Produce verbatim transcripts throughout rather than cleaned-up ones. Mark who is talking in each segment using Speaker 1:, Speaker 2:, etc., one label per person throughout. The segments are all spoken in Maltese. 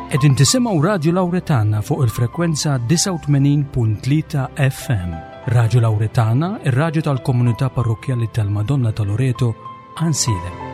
Speaker 1: Qegħdin tisimgħu Radju Lawretana fuq il-frekwenza disgħa u tmenin punt tlieta F M. Radju Lawretana, ir-radju tal-Komunità Parrokkjali tal-Madonna ta' Loreto, Għajnsielem.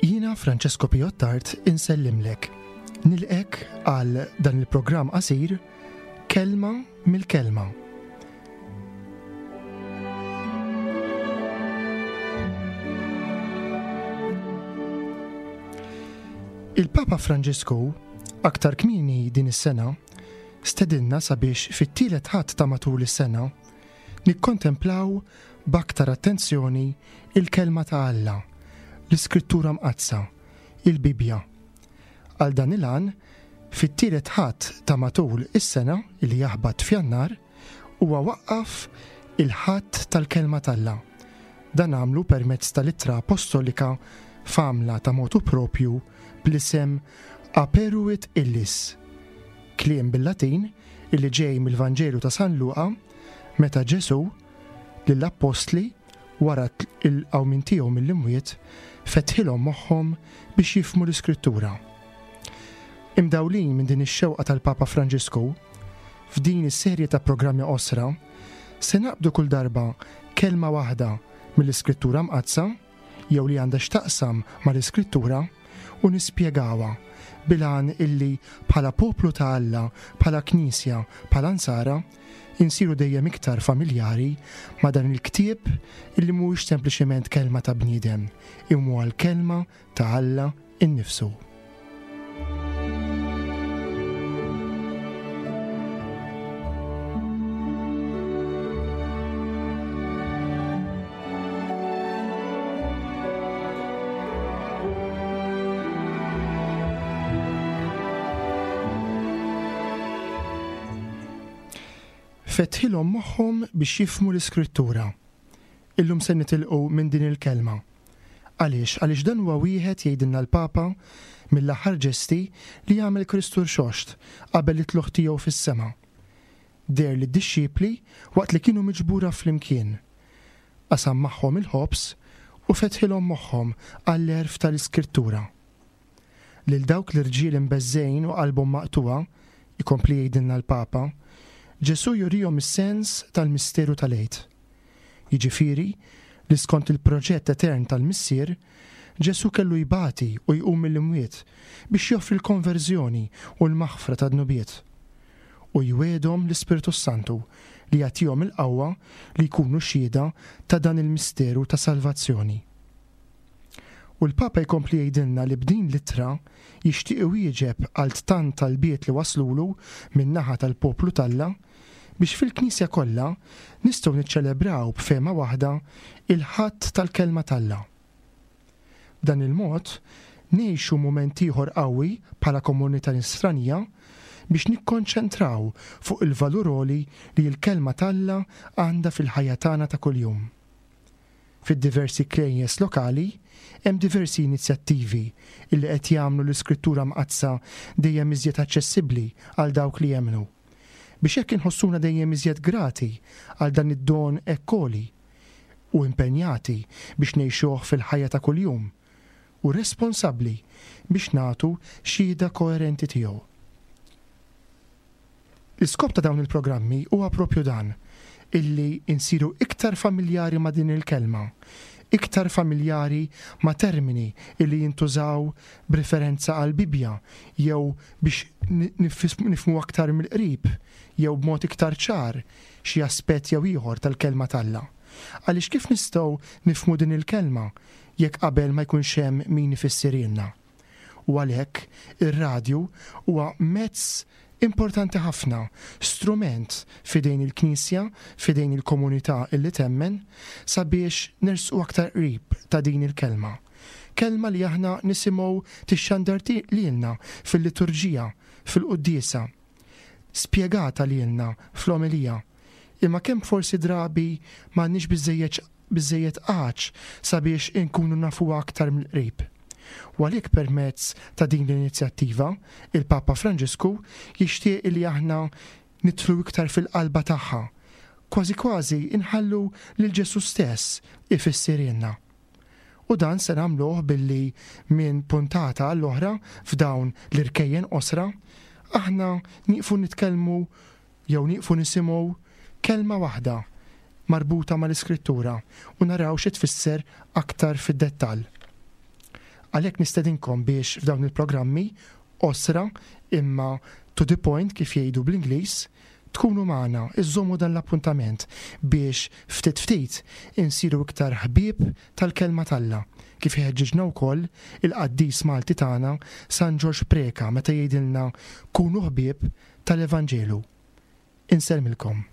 Speaker 2: Jiena Francesco Piottart insellimlek. Nilqgħek għal dan il-programm qasir Kelma mill-Kelma. Il-Papa Franġisku aktar kmieni din is-sena stedinna sabiex fit-tielet Ħadd ta' matul is-sena nikkontemplaw b'aktar attenzjoni il-kelma ta' Alla, l-Iskrittura Mqaddsa, il-Bibja. Għal dan il-għan, fit-tielet Ħadd ta' matul is-sena li jaħbat f'Jannar, huwa waqqaf il-Ħadd tal-Kelma t'Alla. Dan għamlu permezz tal-ittra apostolika f'għamla ta' motu propju bl-isem Aperuit Illis. Kliem bil-Latin illi ġej mill-Vanġelu ta' San Luqa meta Ġesu lill-appostli wara il-qawmien tiegħu mill-imwiet fetħilhom moħħhom biex jifhmu l-Iskrittura. Imdawlin minn din ix-xewqa tal-Papa Franġisku, f'din is-serje ta' programmi qosra, se naqbdu kull darba kelma waħda mill-Iskrittura Mqaddsa jew li għandha x'taqsam mal-Iskrittura u nispjegawha bil-għan illi bħala poplu ta' Alla, bħala Knisja, bħala Nsara, insiru dejjem iktar familjari ma' dan il-ktieb illi mhuwiex sempliċement kelma ta' bniedem, imma huwa l-kelma ta' Alla innifsu. Fetħilhom moħħhom biex jifhmu l-Iskrittura. Illum se nitilqu minn din il-kelma. Għaliex? Għaliex dan huwa wieħed, jgħidilna l-Papa, mill-aħħar ġesti li jagħmel Kristu Rxoxt qabel it-tlugħ tiegħu fis-sema. Deher lid-dixxipli waqt li kienu miġbura flimkien. Qasam magħhom il-ħobż u fetħilhom moħħhom għall-għerf tal-Iskrittura. Lil dawk l-irġiel imbeżżgħin u qalbhom maqtugħa, ikompli jgħidilna l-Papa, Ġesu jurihom is-sens tal-misteru tal-Għid. Jiġifieri li skont il-proġett etern tal-Missier, Ġesu kellu jbati u jqum mill-imwiet biex joffri l-konverżjoni u l-maħfra ta' dnubiet. U jwegħedhom l-Ispirtu Santu li jagħtihom il-qawwa li jkunu xhieda ta' dan il-misteru ta' salvazzjoni. U l-Papa jkompli jgħidilna li b'din l-ittra jixtieq iwieġeb għal tant talbiet li waslulu min-naħa tal-poplu t'Alla biex fil-Knisja kollha nistgħu niċċelebraw b'fehma waħda il-Ħadd tal-Kelma t'Alla. B'dan il-mod ngħixu mument ieħor qawwi bħala komunità nisranija biex nikkonċentraw fuq il-valur għoli li l-kelma t'Alla għandha fil-ħajja tagħna ta' kuljum. Fid-diversi knejjes lokali hemm diversi inizjattivi illi qed jagħmlu l-Iskrittura Mqaddsa dejjem iżjed aċċessibbli għal dawk li jemmnu. Biex hekk inħossuna dejjem iżjed grati għal dan id-don hekk għoli u impenjati biex ngħixuh fil-ħajja ta' kuljum u responsabbli biex nagħtu xhieda koerenti tiegħu. L-iskop ta' dawn il-programmi huwa propju dan, illi insiru iktar familjari ma' din il-kelma, iktar familjari ma' termini illi jintużaw b'referenza għal Bibja jew biex nifhmu aktar mill-qrib jew b'mod iktar ċar xi aspett jew ieħor tal-kelma t'Alla. Għaliex kif nistgħu nifhmu din il-kelma jekk qabel ma jkunx hemm min ifissirhielna? U għalhekk ir-radju huwa mezz importanti ħafna, strument f'idejn il-Knisja, f'idejn il-komunità illi temmen, sabiex nersqu aktar qrib ta' din il-kelma. Kelma li aħna nisimgħu tixxandar lilna fil-liturġija, fil-quddiesa, spjegata lilna fl-omelija. Imma kemm forsi drabi m'għandniex biżejjed biżejjed għatx sabiex inkunu nafuha aktar mill-qrib. U għalhekk permezz ta' din l-inizjattiva, il-Papa Franġisku jixtieq li aħna nidħlu iktar fil-qalba tagħha, kważi kważi inħallu lil Ġesù stess ifissirhielna. U dan se nagħmluh billi minn puntata għall-oħra f'dawn l-irkejjen qosra, aħna nieqfu nitkellmu jew nieqfu nisimgħu kelma waħda marbuta mal-Iskrittura u naraw xi tfisser aktar fid-dettall. Għalhekk nistedinkom biex f'dawn il-programmi qosra imma to the point kif jgħidu bl-Ingliż, tkunu magħna, iżommu dan l-appuntament biex ftit ftit insiru iktar ħbieb tal-kelma t'Alla, kif iħeġġiġna wkoll il-qaddis Malti tagħna San Ġorġ Preca meta jgħidilna kunu ħbieb tal-Evanġelu. Insellmilkom.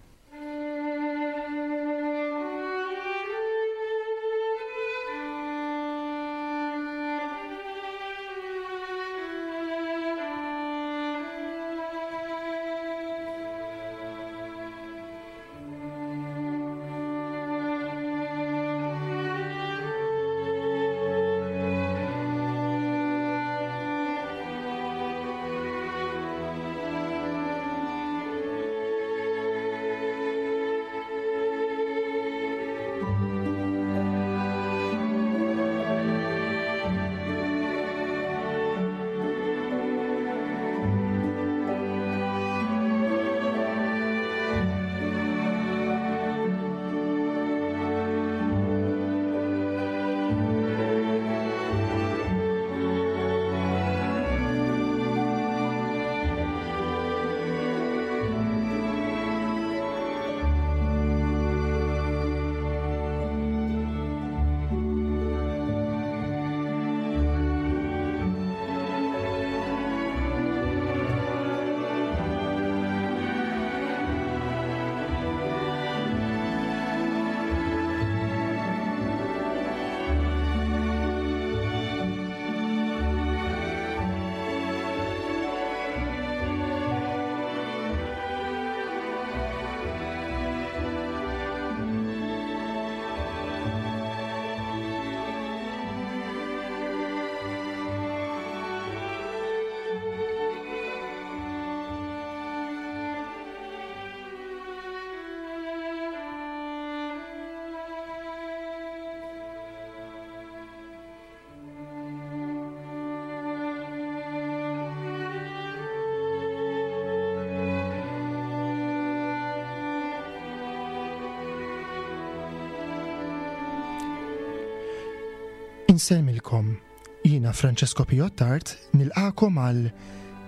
Speaker 2: Insellmilkom, jiena Francesco Pio Attard nilqakom għal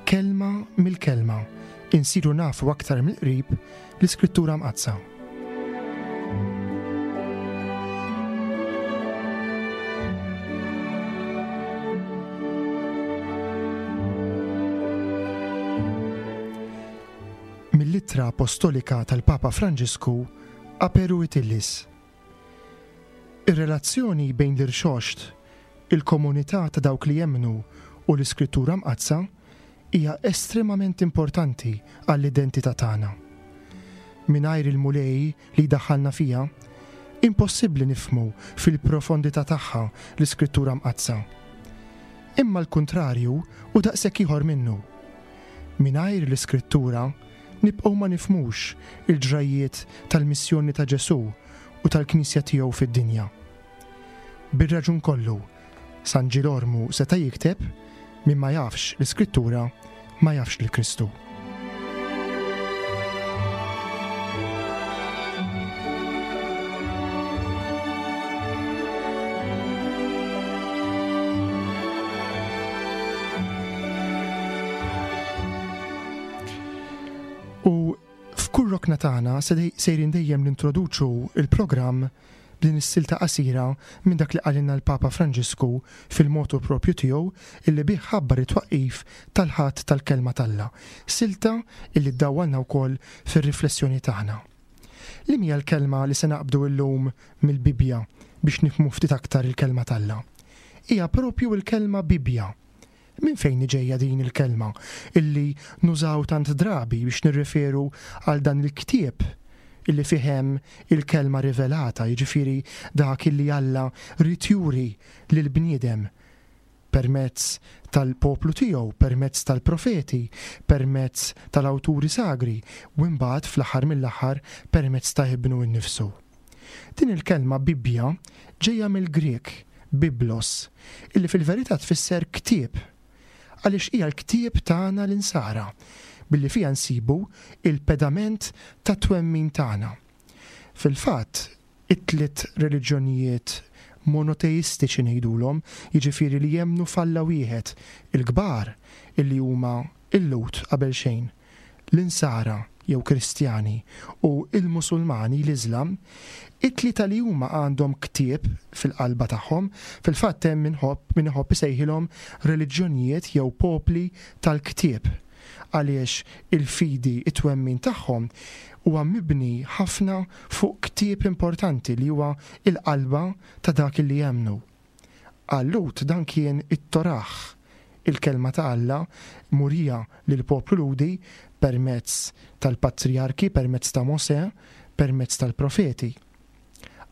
Speaker 2: Kelma mill-Kelma, insiru nafu aktar mill-qrib l-Iskrittura Mqaddsa. Mill-Ittra Apostolika tal-Papa Franġisku Aperuit Illis. Ir-relazzjoni bejn l-irxoxt, il-komunità ta' dawk li jemmnu u l-Iskrittura Mqaddsa hija estremament importanti għall-identità tagħna. Mingħajr il-Mulej li jdaħħalna fiha, impossibbli nifhmu fil-profondità tagħha l-Iskrittura Mqaddsa. Imma l-kuntrarju u daqshekk ieħor minnu. Mingħajr l-Iskrittura nibqgħu ma nifhmux il-ġrajjiet tal-missjoni ta' Ġesù u tal-Knisja tiegħu fid-dinja. Bir-raġun kollu, San Ġilormu seta' jikteb min ma jafx l-Iskrittura ma jafx lil Kristu. U f'kull rokna tagħna sejrin dejjem nintroduċu il-programm b'din is-silta qasira minn dak li qalilna l-Papa Franġisku fil-motu propju tiegħu illi bih ħabbar it-twaqqif tal-Ħadd tal-Kelma t'Alla. Silta illi ddawwalna wkoll fir-riflessjoni tagħna. Li hija l-kelma li se naqbdu llum mill-Bibbja biex nifhmu ftit aktar il-kelma t'Alla? Hija propju l-kelma Bibbja. Min fejn ġejja din il-kelma illi nużaw tant drabi biex nirreferu għal dan il-ktieb illi fih hemm il-kelma rivelata, jiġifieri dak illi Alla ried juri lill-bniedem permezz tal-poplu tiegħu, permezz tal-profeti, permezz tal-awturi sagri, u mbagħad fl-aħħar mill-aħħar permezz ta' ibnu nnifsu. Din il-kelma Bibbja ġejja mill-Grek biblos, illi fil-verità tfisser ktieb, għaliex hija l-ktieb tagħna l-insara, billi fiha nsibu il-pedament ta' twemmin tagħna. Fil-fatt, it-tliet reliġjonijiet monoteistiċi ngħidulhom, jiġifieri li jemmnu f'Alla wieħed, il-kbar illi huma il-Lhud qabel xejn, l-Insara jew Kristjani u il-Musulmani l-Iżlam, it-tlieta li huma għandhom ktieb fil-qalba tagħhom, fil-fatt hemm min iħobb min iħobb isejħilhom reliġjonijiet jew popli tal-ktieb, għaliex il-fidi it-twemmin tagħhom huwa mibni ħafna fuq ktieb importanti li huwa il-qalba ta' dak li jemmnu. Għal-Lhud dan kien it-Torah, il-kelma ta' Alla murija lill-poplu Lhudi permezz tal-patriarki, permezz ta' Mosè, permezz tal-profeti.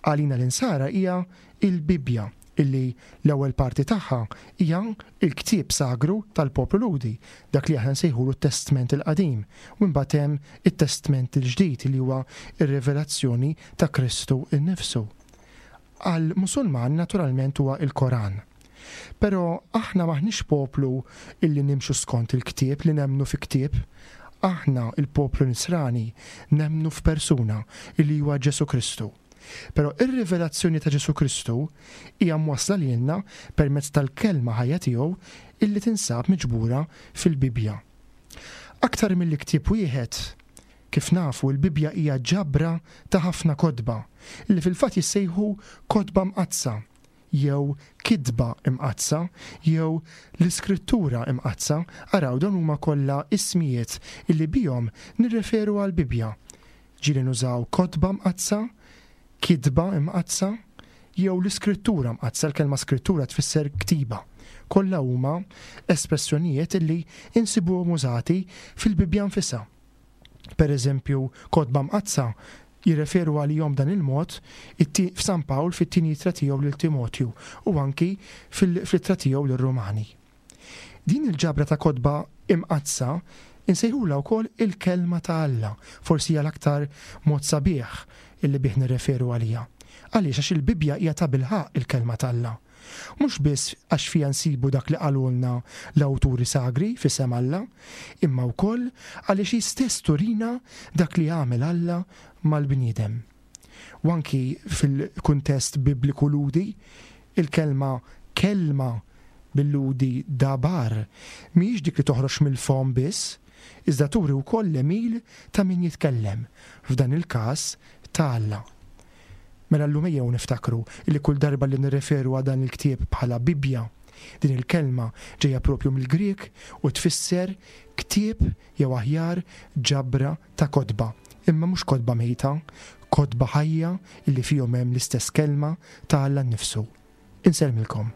Speaker 2: Għalina l-insara hija il-Bibbja, illi l-ewwel parti tagħha hija il-ktieb sagru tal-poplu Lhudi, dak li aħna nsejħulu t-Testment il-Qadim, u mbagħad hemm it-Testment il-Ġdid li huwa ir-rivelazzjoni ta' Kristu nnifsu. Għal-Musulman naturalment huwa il-Koran. Però aħna maħniex poplu illi nimxu skont il-ktieb, li nemmnu fi ktieb. Aħna il-poplu nisrani nemmnu f'persuna illi huwa Ġesu Kristu. Però ir-rivelazzjoni ta' Ġesu Kristu hija mwassla lilna permezz tal-kelma ħajja tiegħu illi tinsab miġbura fil-Bibbja. Aktar milli ktieb wieħed, kif nafu l-Bibbja hija ġabra ta' ħafna kotba illi fil-fatt jissejħu kotba mqaddsa jew kitba imqaddsa jew l-iskrittura imqaddsa. Araw, dawn huma kollha ismijiet illi bihom nirreferu għall-Bibbja. Ġieli nużaw kotba mqaddsa, kitba imqaddsa jew l-iskrittura mqaddsa. L-kelma skrittura tfisser ktiba. Kollha huma espressjonijiet illi insibuhom użati fil-Bibbja nfisha. Per eżempju, kotba mqaddsa jirreferu għalihom dan il-mod f'San Pawl fit-tieni ittra tiegħu lil Timotju u anki fil-ittra tiegħu lir-Rumani. Din il-ġabra ta' kotba imqaddsa insejħulha wkoll il-kelma ta' Alla, forsi hija l-aktar mod sabiħ illi bih nirreferu għaliha. Għaliex? Għax il-Bibbja hija tabilħaqq il-kelma ta' Alla. Mhux biss għax fiha nsibu dak li qalulna l-awturi sagri f'isem Alla, imma wkoll għaliex hi stess turina dak li għamel Alla mal-bniedem. U anki fil-kuntest bibliku Lhudi, il-kelma kelma bil-Lhudi dabar mhijiex dik li toħroġ mill-fom biss, iżda turi wkoll l-għemil ta' min jitkellem, f'dan il-każ ta' Alla. Mela llum ejjew niftakru li kull darba li nirreferu għal dan il-ktieb bħala Bibbja, din il-kelma ġejja propju mill-Grek u tfisser ktieb jew aħjar ġabra ta' kotba, imma mhux kotba mejta, kotba ħajja illi fihom hemm l-istess kelma ta' Alla nnifsu. Insellmilkom.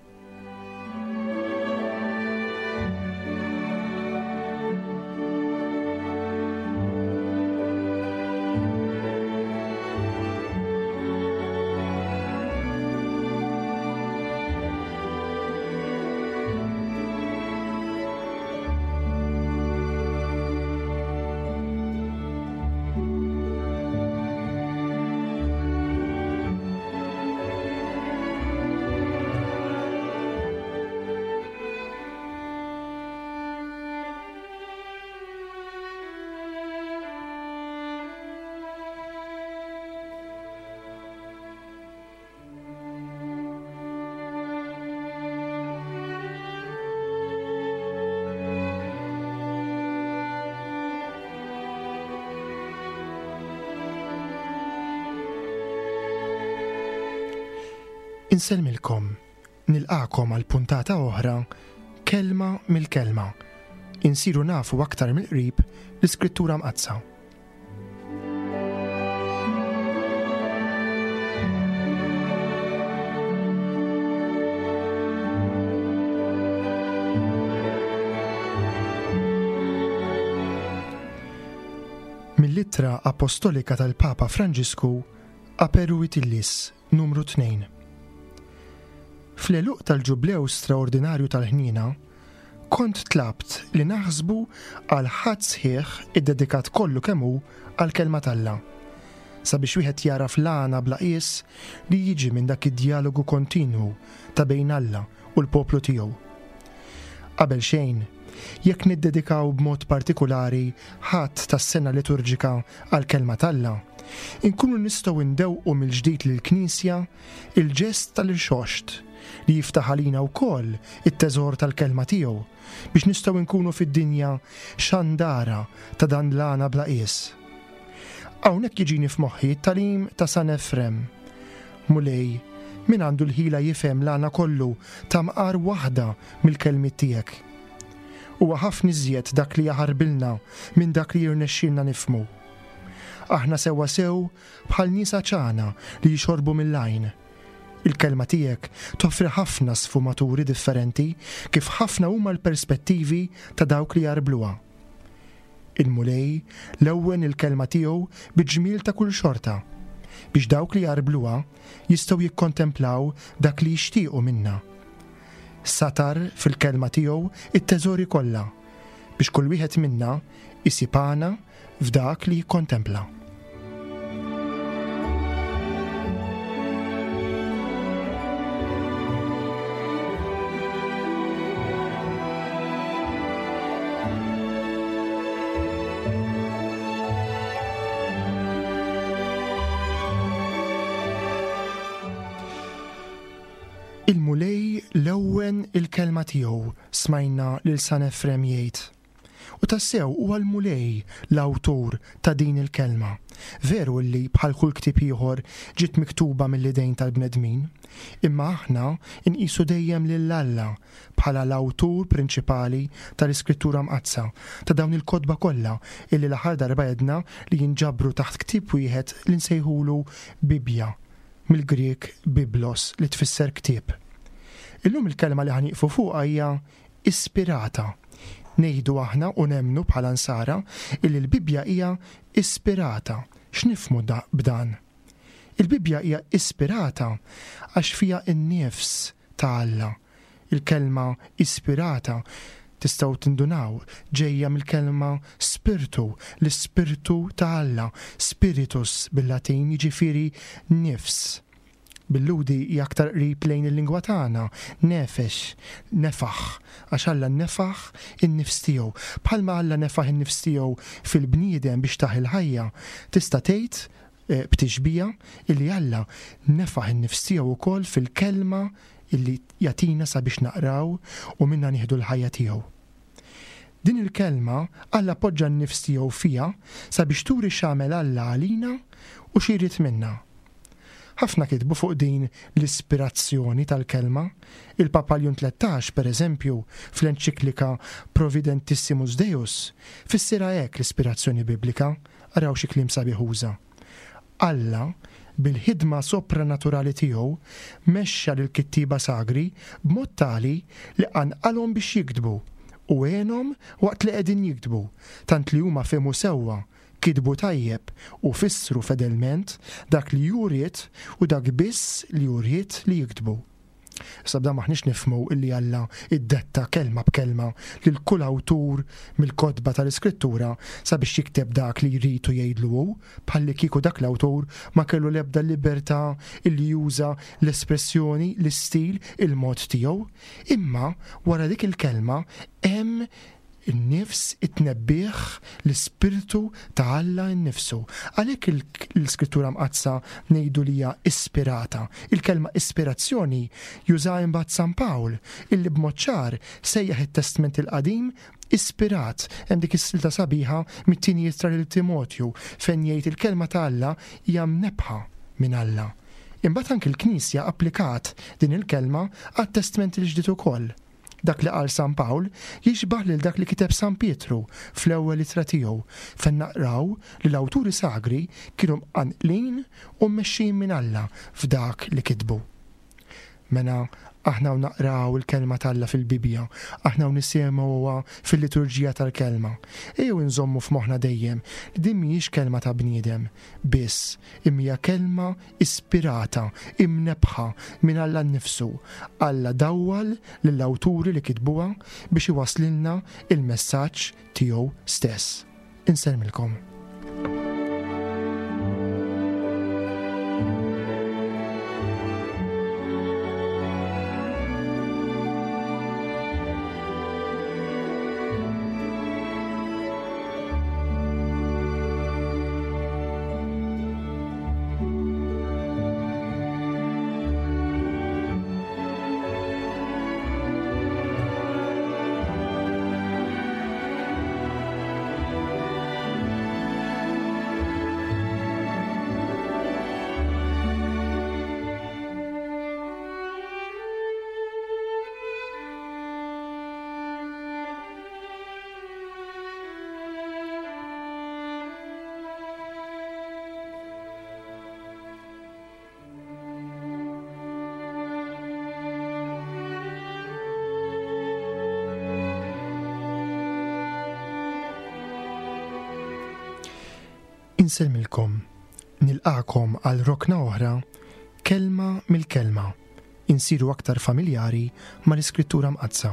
Speaker 2: Insellmilkom, nilqakom għal puntata oħra, Kelma mill-Kelma. Insiru nafu aktar mill-qrib l-Iskrittura Mqaddsa. Mill-Ittra Apostolika tal-Papa Franġisku Aperuit Illis, numru tnejn. Fl-għeluq tal-Ġublew straordinarju tal-ħniena, kont tlabt li naħsbu għal ħadd sħiħ iddedikat kollu kemm hu għall-kelma t'Alla, sabiex wieħed jaraf l-għana bla qies li jiġi minn dak id-dialogu kontinwu ta' bejn Alla u l-poplu tiegħu. Qabel xejn, jekk niddedikaw b'mod partikulari ħadd tas-sena liturġika għall-kelma t'Alla, inkunu nistgħu ndewqu mill-ġdid lill-Knisja il-ġest tal-irxoxt li jiftaħ għalina wkoll it-teżor tal-kelma tiegħu biex nistgħu nkunu fid-dinja xandara ta' dan l-għana bla qies. Hawnhekk jiġini f'moħħi t-tagħlim ta' San Efrem. Mulej, min għandu l-ħila jifhem l-għana kollu ta' mqar waħda mill-kelmiet tiegħek. Huwa ħafna iżjed dak li jaħarbilna minn dak li jirnexxielna nifhmu. Aħna sewwa sew bħal nies ċana li jixorbu mill-għajn. Il-kelma tiegħek toffri ħafna sfumaturi differenti kif ħafna huma l-perspettivi ta' dawk li jarbluha. Il-Mulej lewwen il-kelma tiegħu bi ġmiel ta' kull xorta biex dawk li jarbluha jistgħu jikkontemplaw dak li jixtiequ minna. Satar fil-kelma tiegħu it-teżori kollha biex kull wieħed minna isib għana f'dak li jikkontempla. Il-Mulej lewwen il-kelma tiegħu, smajna lil San Efrem jgħid. U tassew huwa l-Mulej l-awtur ta' din il-kelma. Veru li bħal kull ktieb ieħor ġiet miktuba mill-idejn tal-bnedmin, imma aħna nqisu dejjem lil Alla bħala l-awtur prinċipali tal-Iskrittura Mqaddsa, ta' dawn il-kotba kollha illi l-aħħar darba għedna li jinġabru taħt ktieb wieħed li nsejħulu Bibbja, mill-Grieg biblos li tfisser ktieb. Illum il-kelma li ħanieqfu fuqha hija ispirata. Ngħidu aħna u nemmnu bħala nsara illi l-Bibbja hija ispirata. X'nifhmu b'dan? Il-Bibbja hija ispirata għax fiha n-nifs ta' Alla. Il-kelma ispirata tistgħu tindunaw ġejja mill-kelma spirtu, l-ispirtu ta' Alla, spiritus bil-Latin jiġifieri nifs. Bil-Lhudi hija aktar qrib lejn il-lingwa tagħna, nefex, nefaħ, għax Alla nefaħ in-nifs tiegħu. Bħalma Alla nefaħ in-nifs tiegħu fil-bniedem biex taħ il-ħajja, tista' tgħid, eh, b'tixbija illi Alla nefaħ in-nifs tiegħu wkoll fil-kelma illi jagħtina sabiex naqraw u minna nieħdu l-ħajja tiegħu. Din il-kelma Alla poġġa n-nifs tiegħu fiha sabiex turi x'għamel Alla għalina u xi jrid minna. Ħafna kitbu fuq din l-ispirazzjoni tal-kelma. Il-Papa Ljun tlettax, per eżempju, fl-enċiklika Providentissimus Deus, fissirha hekk l-ispirazzjoni biblika, araw xi kliem sabiħ uża. Alla, bil-ħidma sopranaturali tiegħu, mexxa lill-kittieba sagri b'mod tali li qanqalhom biex jiktbu u għenhom waqt li qegħdin jiktbu, tant li huma fehmu sewwa, kitbu tajjeb u fissru fedelment dak li hu ried u dak biss li hu ried li jiktbu. Issa b'dan maħniex nifhmu illi Alla iddetta kelma b'kelma lil kull awtur mill-kotba tal-Iskrittura sabiex jikteb dak li jrid u jgħidlu hu, bħalli kieku dak l-awtur ma kellu l-ebda libertà illi juża l-espressjoni, l-istil, il-mod tiegħu. Imma wara dik il-kelma hemm in-nifs, it-tnebbiħ, l-ispirtu ta' Alla nnifsu. Għalhekk il-, l-Iskrittura Mqaddsa ngħidu li hija ispirata. Il-kelma ispirazzjoni juża imbagħad San Pawl, illi b'mod ċar sejjaħ it-Testment il-Qadim ispirat. Hemm dik is-silta sabiħa mit-tieni ittra lil Timotju fejn jgħid il-kelma ta' Alla hija mnebbħa minn Alla. Imbagħad anki l-Knisja applikat din il-kelma għat-Testment il-Ġdid ukoll. Dak li qal San Pawl jixbah lil dak li kiteb San Pietru fl-ewwel ittra tiegħu fejn naqraw li l-awturi sagri kienu mqanqlin u mmexxijin minn Alla f'dak li kitbu. Mela aħna u naqraw il-kelma t'Alla fil-Bibbja, aħna u nisimgħuha fil-liturġija tal-kelma. Ejjew inżommu f'moħħna dejjem li din mhijiex kelma ta' bniedem biss, imma hija kelma ispirata, imnebħa minn Alla nnifsu. Alla dawwal lill-awturi li kitbuha biex iwaslilna il-messaġġ tiegħu stess. Insellmilkom. Insellmilkom, nilqakom għal rokna oħra, kelma mill-kelma, insiru aktar familjari mal-Iskrittura Mqaddsa.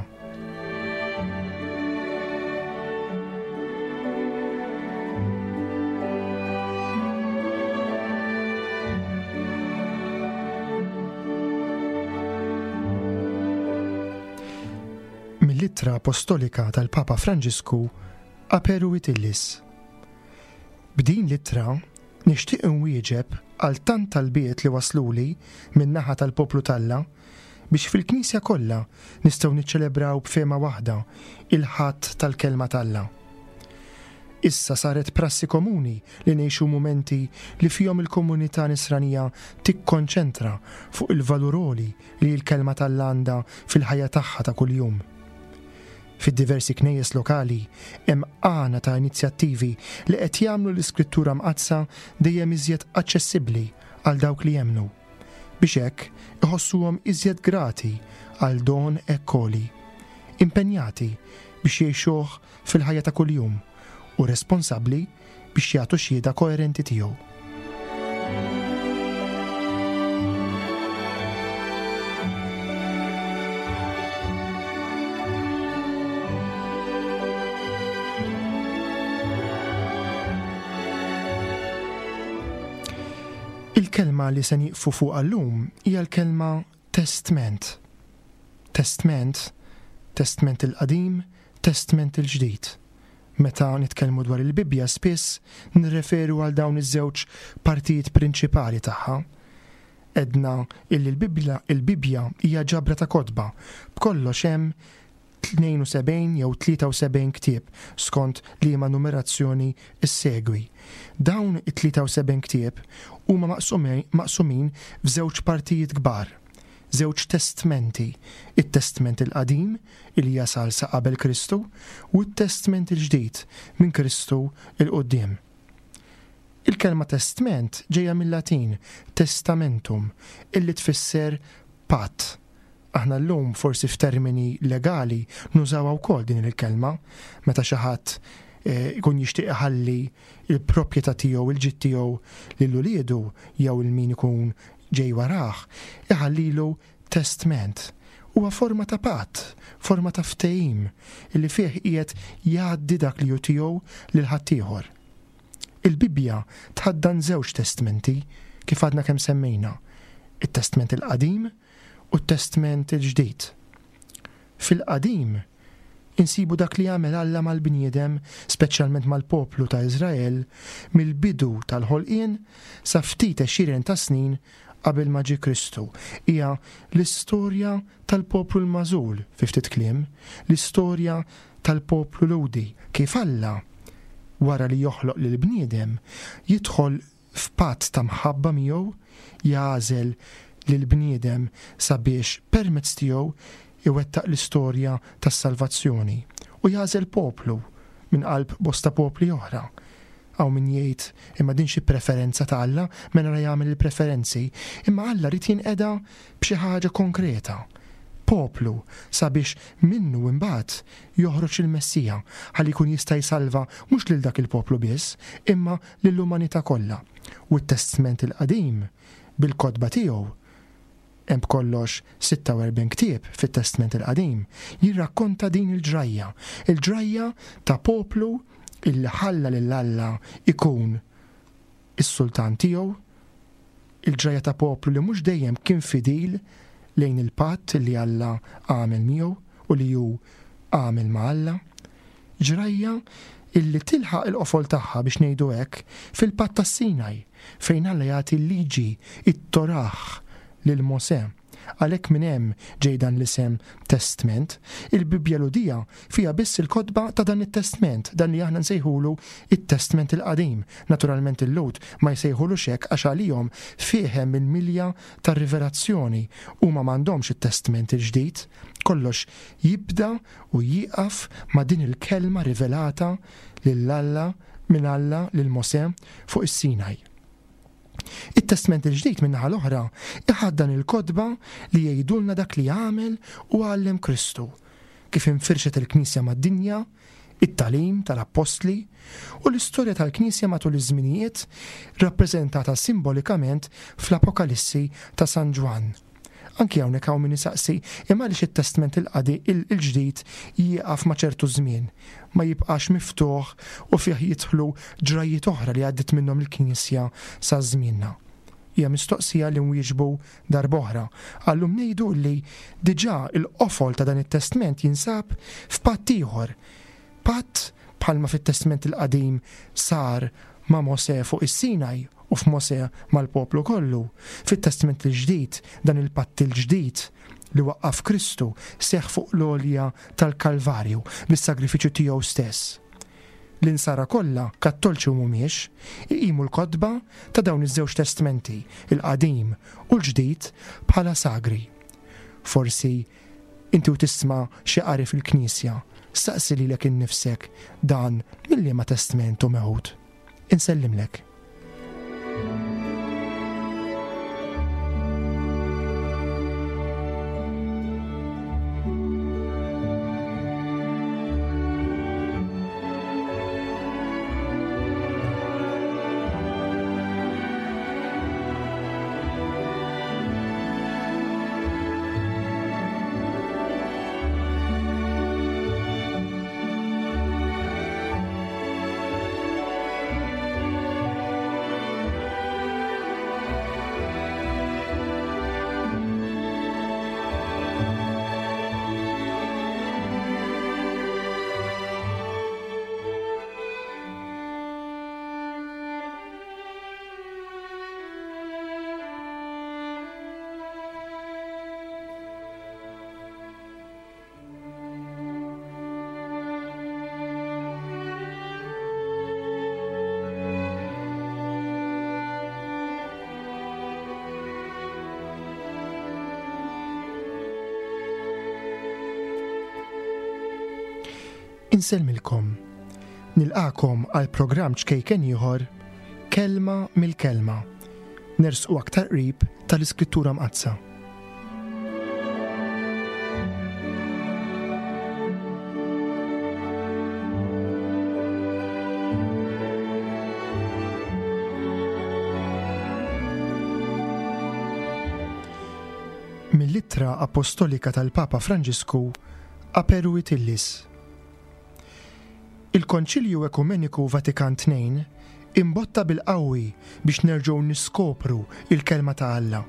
Speaker 2: Mill-Ittra Apostolika tal-Papa Franġisku Aperuit Illis. B'din l-ittra nixtieq inwieġeb għal tant talbiet li wasluli min-naħa tal-poplu t'Alla biex fil-Knisja kollha nistgħu niċċelebraw b'fehma waħda il-Ħadd tal-Kelma t'Alla. Issa saret prassi komuni li ngħixu mumenti li fihom il-komunità nisranija tikkonċentra fuq il-valur għoli li l-Kelma t'Alla għandha fil-ħajja tagħha ta' kuljum. Fid-diversi knejjes lokali hemm għana ta' inizjattivi li qed jagħmlu l-Iskrittura Mqaddsa dejjem iżjed aċċessibbli għal dawk li jemmnu, biex hekk iħossuhom iżjed grati għal don hekk għoli, impenjati biex jgħixuh fil-ħajja ta' kuljum u responsabbli biex jagħtu xhieda koerenti tiegħu. Il-kelma li se nieqfu fuqha llum hija l-kelma testment. Testment, testment il-qadim, testment il-ġdid. Meta nitkellmu dwar il-Bibbja spiss nirreferu għal dawn iż-żewġ partijiet prinċipali tagħha. Edna illi l-Bibbja, il-Bibbja hija ġabra ta' kotba, b'kollox hemm tnejn u sebgħin jew tlieta u sebgħin ktieb skont liema numerazzjoni issegwi. Dawn it-tlieta u sebgħin ktieb huma maqsumi-, maqsumin f'żewġ partijiet kbar, żewġ testmenti, it-Testment il-Qadim li jasal sa qabel Kristu u t-Testment il-Ġdid minn Kristu 'l quddiem. Il-kelma testment ġejja mill-Latin testamentum, illi tfisser patt. Aħna llum forsi f'termini legali nużawha wkoll din il-kelma meta xi ħadd, eh, ikun jixtieq iħalli il-proprjetà tiegħu, il-ġid tiegħu lil uliedu jew il min ikun ġej warah, iħallilu testment. Huwa forma ta' patt, forma ta' ftehim illi fih qiegħed jgħaddi dak li hu tiegħu lil ħaddieħor. Il-Bibbja tħaddan żewġ testmenti kif għadna kemm semmejna, it-Testment il-Qadim u t-Testment il-Ġdid. Fil-Qadim insibu dak li għamel Alla mal-bniedem, speċjalment mal-poplu ta' Iżrael, mill-bidu tal-ħolqien sa ftit għexieren ta' snin qabel ma ġie Kristu. Hija l-istorja tal-poplu l-magħżul, fi ftit kliem, l-istorja tal-poplu Lhudi, kif Alla, wara li joħloq lill-bniedem, jidħol f'patt ta' mħabba miegħu jagħżel lill-bniedem sabiex permezz tiegħu iwettaq l-istorja tas-salvazzjoni u jagħżel poplu minn qalb bosta popli oħra. Hawn min jgħid imma din xi preferenza ta' Alla, mela ra jagħmel il-preferenzi, imma Alla rid jinqeda b'xi ħaġa konkreta. Poplu sabiex minnu imbagħad joħroġ il-Messija ħalli jkun jista' jsalva mhux lil dak il-poplu biss, imma lill-umanità kollha. U t-Testment il-Qadim bil-kotba tiegħu, hemm b'kollox sitta u erbgħin ktieb fit-Testment il-Qadim, jirrakkonta din il-ġrajja, il-ġrajja ta' poplu illi ħalla lil Alla ikun is-sultan tiegħu, il-ġrajja ta' poplu li mhux dejjem kien fidil lejn il-patt li Alla għamel miegħu u li hu għamel ma' Alla, ġrajja illi tilħaq il-qofol tagħha biex ngħidu hekk fil-patt tas-Sinaj fejn Alla jagħti l-liġi, it-Torah lil Mosè. Għalhekk minn hemm ġej dan l-isem Testment. Il-Bibbja Lhudija fiha biss il-kotba ta' dan it-Testment, dan li aħna nsejħulu it-Testment il-Qadim. Naturalment il-Lhud ma jsejħulux hekk għax għalihom fih hemm il-milja tar-rivelazzjoni u ma m'għandhomx it-Testment il-Ġdid. Kollox jibda u jieqaf ma' din il-kelma rivelata lil Alla minn Alla lil Mosè fuq is-Sinaj. It-Testment il-Ġdid min-naħa l-oħra iħaddan il-kotba li jgħidulna dak li għamel u għallem Kristu, kif infirxet il-Knisja mad-dinja, it-tagħlim tal-Appostli u l-istorja tal-Knisja matul iż-żminijiet rappreżentata simbolikament fl-Apokalissi ta' San Ġwann. Anki hawnhekk hawn min isaqsi imma għaliex it-Testment il-Qadi-, il-, il-Ġdid jieqaf ma' ċertu żmien, ma jibqax miftuħ u fih jidħlu ġrajjiet oħra li għaddiet minnhom il-Knisja sa żmienna. Hija mistoqsija li nwieġbu darb'oħra. Għallum ngħidu li diġà il-qofol ta' dan it-Testment jinsab f'patt ieħor. Patt bħalma fit-Testment il-Qadim sar ma' Mosè fuq is-Sinaj u f'Mosè mal-poplu kollu. Fit-Testment il-Ġdid, dan il-patt il-ġdid li waqqaf Kristu seħħ fuq l-għolja tal-Kalvarju bis-sagrifiċċju tiegħu stess. L-insara kollha, kattolċi u mhumiex, iqimu l-kotba ta' dawn iż-żewġ testmenti, il-qadim u l-ġdid, bħala sagri. Forsi inti u tisma' xi qari fil-Knisja, staqsi lilek innifsek dan mill-liema testment hu meħud. Insellimlek. Insellmilkom. Nilqakom għal programm ċkejken ieħor, Kelma mill-Kelma. Nersqu aktar qrib tal-Iskrittura Mqaddsa. Mill-Ittra Apostolika tal-Papa Franġisku Aperuit Illis. Il-Konċilju Ekumeniku Vatikan tnejn imbotta bil-qawwi biex nerġgħu niskopru il-kelma ta' Alla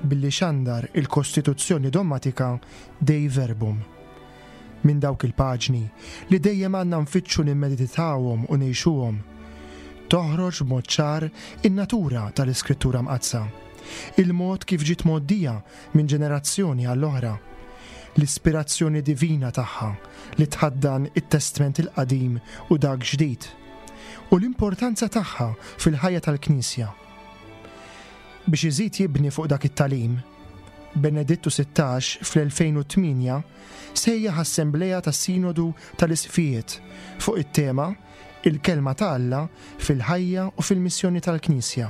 Speaker 2: billi xandar il-Kostituzzjoni Dogmatika Dei Verbum. Minn dawk il-paġni li dejjem għandna nfittxu nimmeditawhom u ngħixuhom, toħroġ b'mod ċar in-natura tal-Iskrittura Mqaddsa, il-mod kif ġiet mgħoddija minn ġenerazzjoni għall-oħra, l-ispirazzjoni divina tagħha li tħaddan it-Testment il-Qadim u dak ġdid, u l-importanza tagħha fil-ħajja tal-Knisja. Biex iżid jibni fuq dak it-tagħlim, Benedittu sittax fl-elfejn u tmienja sejjaħ assembleja tas-Sinodu tal-Isqfijiet fuq it-tema Il-Kelma ta' Alla fil-ħajja u fil-missjoni tal-Knisja,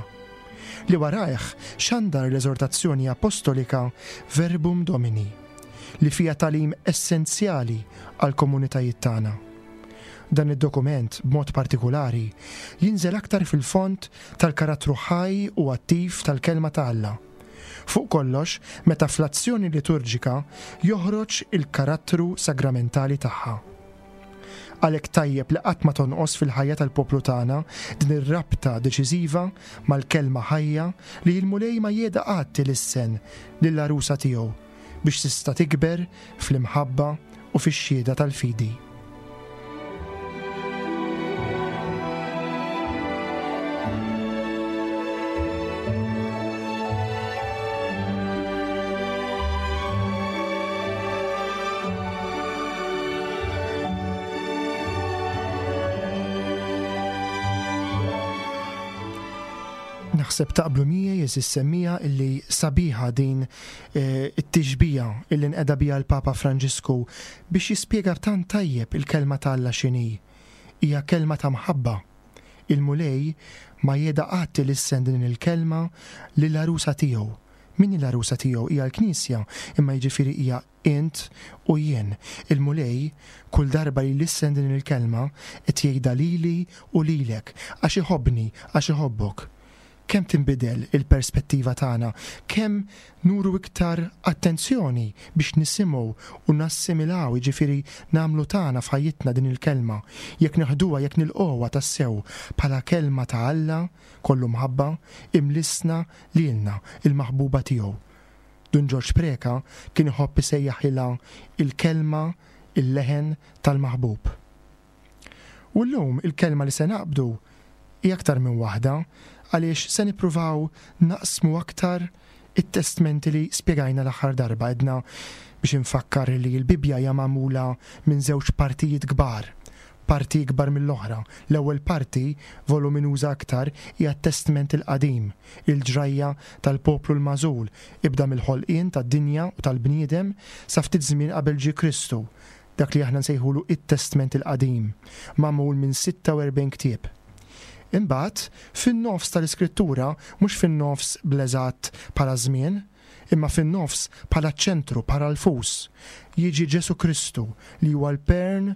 Speaker 2: li warajh xandar l-eżortazzjoni apostolika Verbum Domini, li fija tagħlim essenzjali għall-komunitajiet tagħna. Dan id-dokument, b'mod partikolari, jinżel aktar fil-fond tal-karattru ħaj u attiv tal-Kelma ta' Alla. Fuq kollox, meta fl-azzjoni liturġika joħroġ il-karattru sagramentali tagħha. Għalhekk tajjeb li qatt ma tonqos fil-ħajja tal-poplu tagħna din ir-rabta deċiżiva mal-kelma ħajja li l-Mulej ma jeda qatt ilissen lill-għarusa tiegħu biex tista' tikber fl-imħabba u fix-xhieda tal-fidi. Naħseb taqblu miegħi jeżis semmija illi sabiħa din, eh, it-tixbija illi nqeda biha l-Papa Franġisku biex jispjega tant tajjeb il-kelma ta' Alla x'inhi. Hija kelma ta' mħabba. Il-Mulej ma jeda qatt ilissen din il-kelma lill-għarusa tiegħu. Min hi l-għarusa tiegħu? Hija l-Knisja, imma jiġifieri hija int u jien. Il-Mulej kull darba li lissen din il-kelma qed jgħidha lili u lilek għax iħobbni, għax iħobbok. Kemm tinbidel il-perspettiva tagħna, kemm nuru iktar attenzjoni biex nisimgħu u nassimilaw, jiġifieri nagħmlu tagħna f'ħajjitna din il-kelma, jekk neħduha, jekk nilqgħuha tassew bħala kelma ta' Alla kollu mħabba imlissna lilna il-maħbuba tiegħu. Dun Ġorġ Preca kien iħobb isejjaħilha il-kelma, il-leħen tal-maħbub. U llum il-kelma li se naqbdu hija aktar minn waħda, għaliex se nippruvaw naqsmu aktar it-testmenti li spjegajna l-aħħar darba. Edna biex infakkar li l-Bibbja hija magħmula minn żewġ partijiet kbar, parti ikbar mill-oħra. L-ewwel parti, voluminuża aktar, hija t-Testment il-Qadim, il-ġrajja tal-poplu l-magħżul, ibda mill-ħolqien tad-dinja u tal-bniedem sa ftit żmien qabel ġie Kristu, dak li aħna nsejħulu it-Testment il-Qadim, magħmul minn sitta u erbgħin ktieb. Imbagħad, fin-nofs tal-Iskrittura, mhux fin-nofs bl-eżatt bħala żmien, imma fin-nofs bħala ċentru, bħala l-fus, jiġi Ġesu Kristu li huwa l-pern,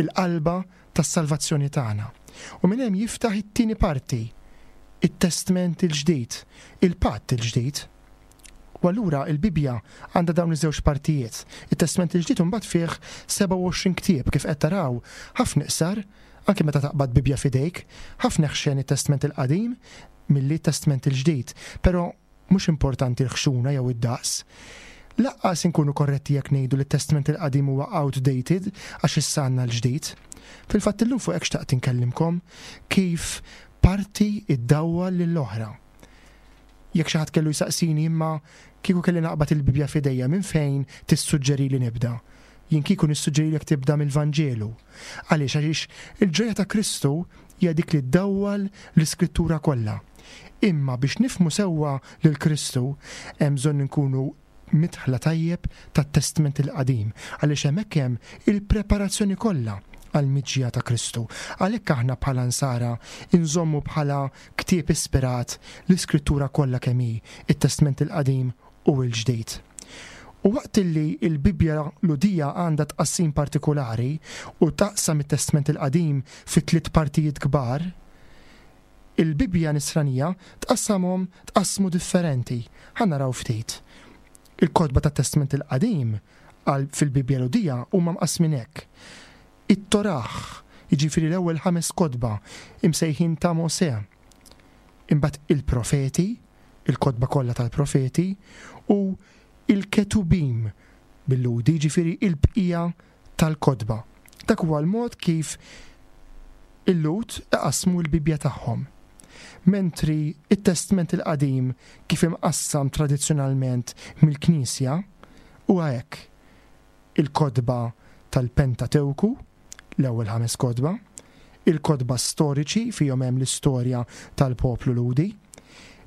Speaker 2: il-qalba tas-salvazzjoni tagħna. U minn hemm jiftaħ it-tieni parti, it-Testment il-Ġdid, il-Patt il-Ġdid. U allura il-Bibbja għandha dawn iż-żewġ partijiet. It-Testment il-Ġdid imbagħad fih sebgħa u għoxrin ktieb kif qed taraw, ħafna iqsar, anke meta taqbad Bibbja f'idejk, ħafna ħxen it-Testment il-Qadim milli t-Testment il-Ġdid, però mhux importanti l-ħxuna jew id-daqs. Laqqas inkunu korretti jekk ngħidu li t-Testment il-Qadim huwa outdated għax issa għandna l-ġdid. Fil-fatt illum fuq hekk xtaqt inkellimkom kif parti iddawwal lill-oħra. Jekk xi ħadd kellu jsaqsini imma kieku kelli naqbad il-Bibbja f'idejja minn fejn tissuġġeri li nibda? Jien kieku nissuġġerilek tibda mill-Vanġelu. Għaliex? Għaliex il-ġrajja ta' Kristu hija dik li ddawwal l-Iskrittura kollha. Imma biex nifhmu sewwa lil Kristu hemm bżonn inkunu midħla tajjeb tat-Testment il-Qadim, għaliex hemmhekk hemm il-preparazzjoni kollha għall-miġja ta' Kristu. Għalhekk aħna bħala nsara inżommu bħala ktieb ispirat l-Iskrittura kollha kemm hi, it-Testment il-Qadim u l-Ġdid. U waqt li l-Bibbja Lhudija għandha tqassim partikolari u taqsam it-Testment il-Qadim fi tliet partijiet kbar, il-Bibbja Nisranija tqassamhom tqassmu differenti. Ħa naraw ftit. Il-kotba tat-Testment il-Qadim għal fil-Bibbja Lhudija huma mqassmin hekk. It-Torah, jiġifieri l-ewwel ħames kotba imsejħin ta' Mosè. Imbagħad il-profeti, il-kotba kollha tal-profeti, u il-Ketubim bil-Lhudi, jiġifieri il-bqija tal-kotba. Dak huwa l-mod kif il-Lhud iqassmu l-Bibbja tagħhom. Mentri it-Testment il-Qadim kif imqassam tradizzjonalment mill-Knisja huwa hekk. Il-kotba tal-Pentatewku, l-ewwel ħames kotba, il-kotba storiċi fihom hemm l-istorja tal-poplu Lhudi,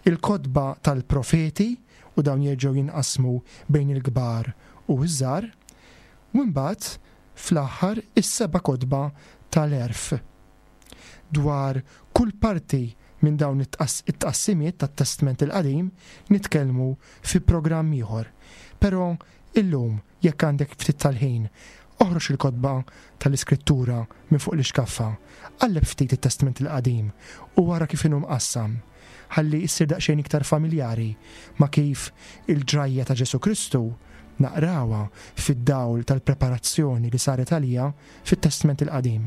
Speaker 2: il-kotba tal-profeti, u dawn jerġgħu jinqasmu bejn il-kbar u ż-żgħar, u mbagħad fl-aħħar is-seba' kotba tal-għerf. Dwar kull parti minn dawn it-tqassimiet tat-Testment il-Qadim nitkellmu fi programm ieħor. Però illum, jekk għandek ftit tal-ħin, oħroġ il-kotba tal-Iskrittura minn fuq l-ixkaffa, qalleb ftit it-Testment il-Qadim u wara kif inhu mqassam, ħalli issir daqsxejn iktar familjari ma' kif il-ġrajja ta' Ġesù Kristu naqrawha fid-dawl tal-preparazzjoni li saret għalija fit-Testment il-Qadim.